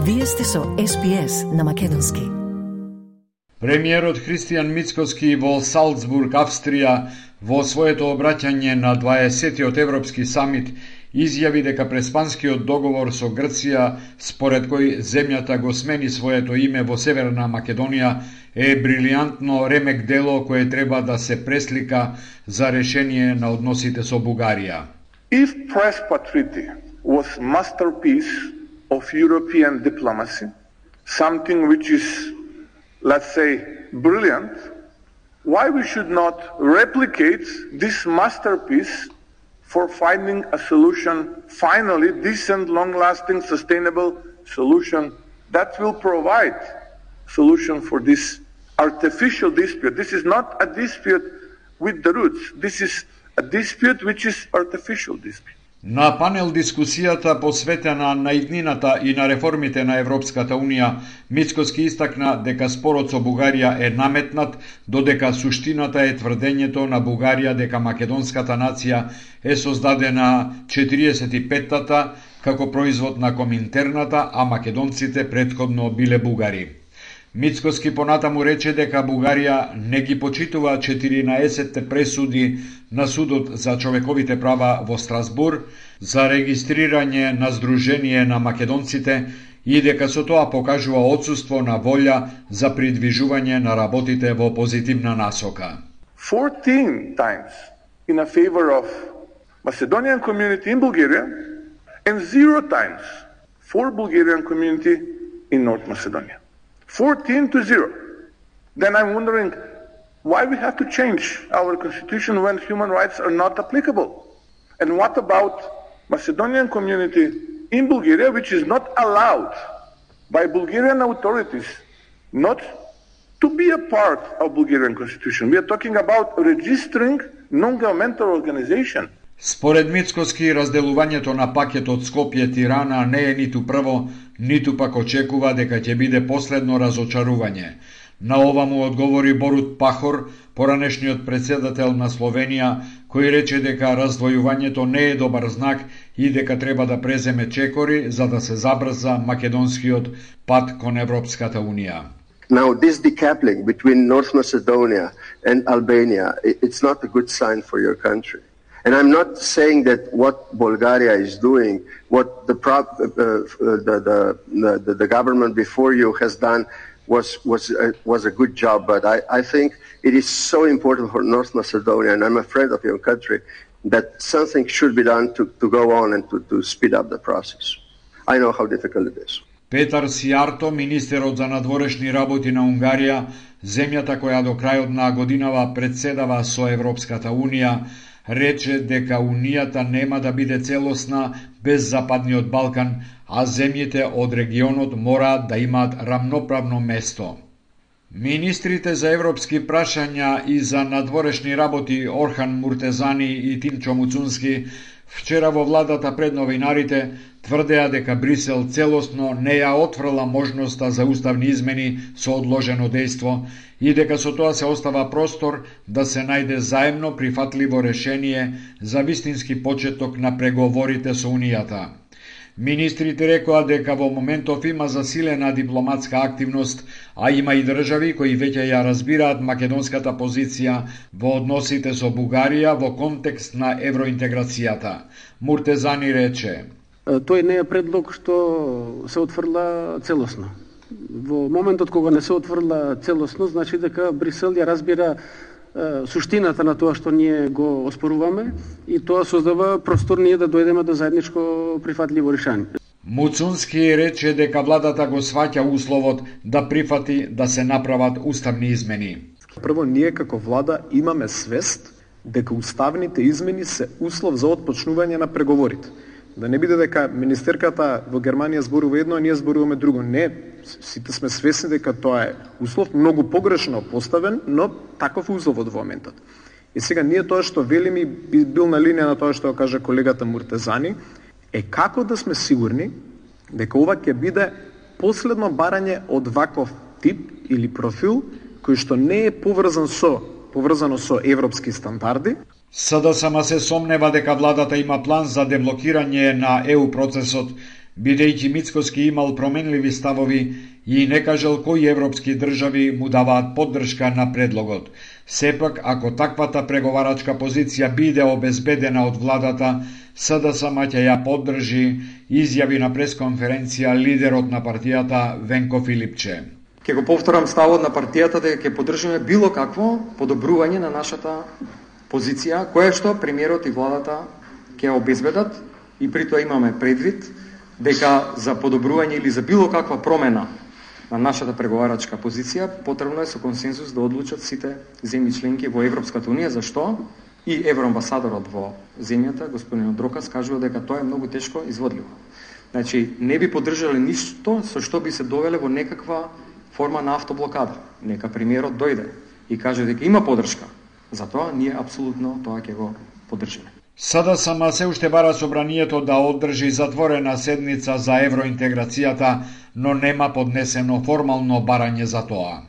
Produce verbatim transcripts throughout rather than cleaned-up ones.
Вие сте со Ес Би Ес на македонски. Премиерот Христијан Мицкоски во Салцбург, Австрија, во своето обраќање на дваесеттиот Европски самит, изјави дека преспанскиот договор со Грција, според кој земјата го смени своето име во Северна Македонија, е брилијантно ремек дело кое треба да се преслика за решение на односите со Бугарија. If Prespa Treaty was masterpiece of European diplomacy, something which is, let's say, brilliant, why we should not replicate this masterpiece for finding a solution, finally, decent, long-lasting, sustainable solution that will provide solution for this artificial dispute. This is not a dispute with the roots. This is a dispute which is artificial dispute. На панел дискусијата посветена на иднината и на реформите на Европската Унија, Мицкоски истакна дека спорот со Бугарија е наметнат, додека суштината е тврдењето на Бугарија дека македонската нација е создадена четириесет и петтата како производ на Коминтерната, а македонците претходно биле бугари. Мицкоски понатаму рече дека Бугарија не ги почитува четиринаесетте пресуди на Судот за човековите права во Страсбур за регистрирање на Сдружение на македонците и дека со тоа покажува отсуство на волја за придвижување на работите во позитивна насока. fourteen times in a favor of Macedonian community in Bulgaria and zero times for Bulgarian community in North Macedonia. fourteen to zero. Then I'm wondering why we have to change our constitution when human rights are not applicable. And what about Macedonian community in Bulgaria, which is not allowed by Bulgarian authorities not to be a part of Bulgarian constitution? We are talking about registering non-governmental organization. Според Мицкоски, разделувањето на пакетот Скопје-Тирана не е ниту прво, ниту пак очекува дека ќе биде последно разочарување. На ова му одговори Борут Пахор, поранешниот председател на Словенија, кој рече дека раздвојувањето не е добар знак и дека треба да преземе чекори за да се забрза македонскиот пат кон Европската Унија. Now, this decoupling between North Macedonia and Albania, it's not a good sign for your country. And I'm not saying that what Bulgaria is doing, what the, pro- uh, the, the, the, the government before you has done was was uh, was a good job, but I, I think it is so important for North Macedonia, and I'm a friend of your country, that something should be done to, to go on and to, to speed up the process. I know how difficult it is. Петар Сијарто, министерот за надворешни работи на Унгарија, земјата која до крајот на годинава председава со Европската Унија, рече дека Унијата нема да биде целосна без Западниот Балкан, а земјите од регионот мораат да имаат рамноправно место. Министрите за европски прашања и за надворешни работи Орхан Муртезани и Тимчо Муцунски вчера во владата пред новинарите тврдеа дека Брисел целосно не ја отфрла можноста за уставни измени со одложено дејство и дека со тоа се остава простор да се најде заемно прифатливо решение за вистински почеток на преговорите со Унијата. Министрите рекоа дека во моментов има засилена дипломатска активност, а има и држави кои веќе ја разбираат македонската позиција во односите со Бугарија во контекст на евроинтеграцијата. Муртезани рече: Тој не е предлог што се отфрла целосно. Во моментот кога не се отфрла целосно, значи дека Брисел ја разбира суштината на тоа што ние го оспоруваме и тоа создава простор ние да дојдеме до заедничко прифатливо решение. Муцунски рече дека владата го сваќа условот да прифати да се направат уставни измени. Прво, ние како влада имаме свест дека уставните измени се услов за отпочнување на преговорите. Да не биде дека министерката во Германија зборува едно, а ние зборуваме друго. Не, сите сме свесни дека тоа е услов многу погрешно поставен, но таков услов од моментот. И сега ние тоа што велиме би бил на линија на тоа што кажа колегата Муртезани, е како да сме сигурни дека ова ќе биде последно барање од ваков тип или профил кој што не е поврзан со поврзано со европски стандарди. СДСМ се сомнева дека владата има план за деблокирање на ЕУ процесот, бидејќи Мицкоски имал променливи ставови и не кажал кои европски држави му даваат поддршка на предлогот. Сепак, ако таквата преговарачка позиција биде обезбедена од владата, СДСМ ќе ја поддржи, изјави на пресконференција лидерот на партијата Венко Филипче. Ќе го повторам ставот на партијата дека ќе поддржиме било какво подобрување на нашата позиција, која што премиерот и владата ќе обезбедат, и при тоа имаме предвид дека за подобрување или за било каква промена на нашата преговарачка позиција потребно е со консензус да одлучат сите земји членки во Европската унија, зашто и евроамбасадорот во земјата, господин Дрокас, кажува дека тоа е многу тешко изводливо. Значи, не би поддржале ништо со што би се довеле во некаква форма на автоблокада. Нека премиерот дојде и каже дека има поддршка. Затоа ние апсолутно тоа ќе го поддржиме. СДСМ се уште бара собранието да одржи затворена седница за евроинтеграцијата, но нема поднесено формално барање за тоа.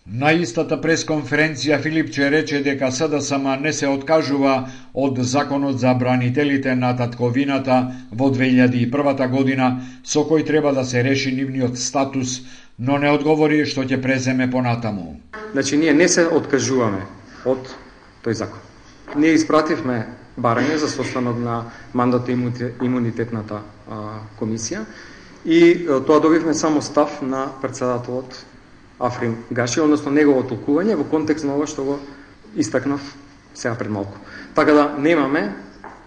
На истата пресконференција Филипче рече дека СДСМ не се откажува од законот за бранителите на татковината во две илјади и прва година, со кој треба да се реши нивниот статус, но не одговори што ќе преземе понатаму. Значи, ние не се откажуваме од тој закон. Ние испративме барање за состанок на мандата имунитетната а, комисија и а, тоа добивме само став на председателот Африм Гаши, односно негово толкување во контекст на ова што го истакнав сега пред малку. Така да немаме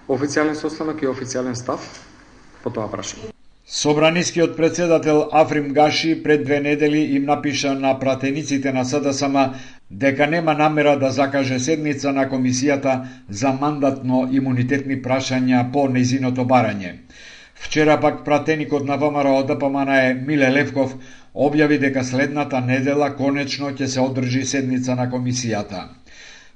официјален состанок и официјален став по тоа прашање. Собранискиот председател Африм Гаши пред две недели им напиша на пратениците на СДСМ дека нема намера да закаже седница на комисијата за мандатно имунитетни прашања по нејзиното барање. Вчера пак пратеникот на ВМРО ДПМН Миле Левков објави дека следната недела конечно ќе се одржи седница на комисијата.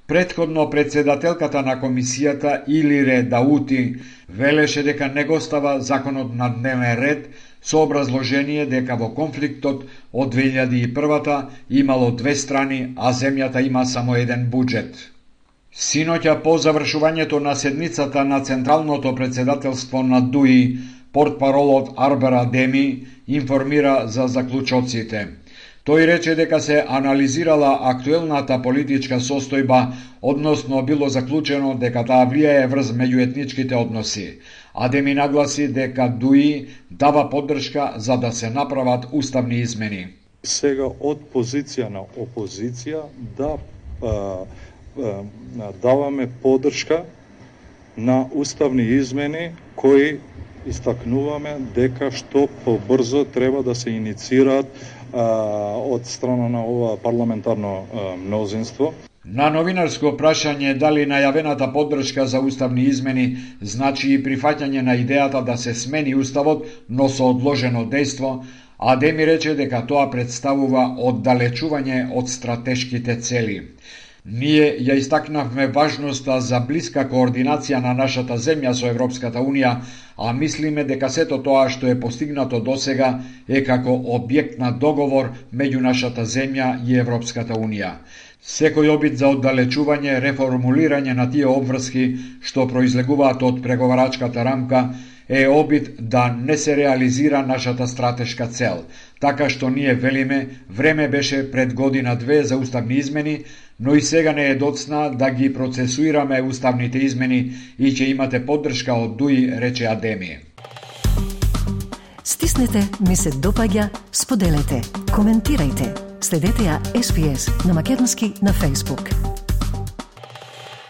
Претходно председателката на комисијата Илире Даути велеше дека не го става законот на дневен ред со образложение дека во конфликтот од две илјади и прва имало две страни, а земјата има само еден буџет. Синоќа по завршувањето на седницата на Централното председателство на ДУИ, портпаролот Арбер Адеми информира за заклучоците. Тој рече дека се анализирала актуелната политичка состојба, односно било заклучено дека таа влијае врз меѓуетничките односи. Адеми нагласи дека ДУИ дава поддршка за да се направат уставни измени. Сега од позиција на опозиција да а, а, даваме поддршка на уставни измени кои истакнуваме дека што побрзо треба да се иницираат од страна на ова парламентарно мнозинство. На новинарско прашање дали најавената поддршка за уставни измени значи и прифаќање на идејата да се смени уставот, но со одложено дејство, Адеми рече дека тоа представува оддалечување од стратешките цели. Ние ја истакнавме важноста за блиска координација на нашата земја со Европската Унија, а мислиме дека сето тоа што е постигнато досега е како објект на договор меѓу нашата земја и Европската Унија. Секој обид за оддалечување, реформулирање на тие обврски што произлегуваат од преговарачката рамка е обид да не се реализира нашата стратешка цел. Така што ние велиме, време беше пред година-две за уставни измени, но и сега не е доцна да ги процесуираме уставните измени и ќе имате поддршка од ДУИ, рече Адеми. Стиснете, ми се допаѓа, споделете, коментирајте. Следете ја Ес Би Ес на македонски на Facebook.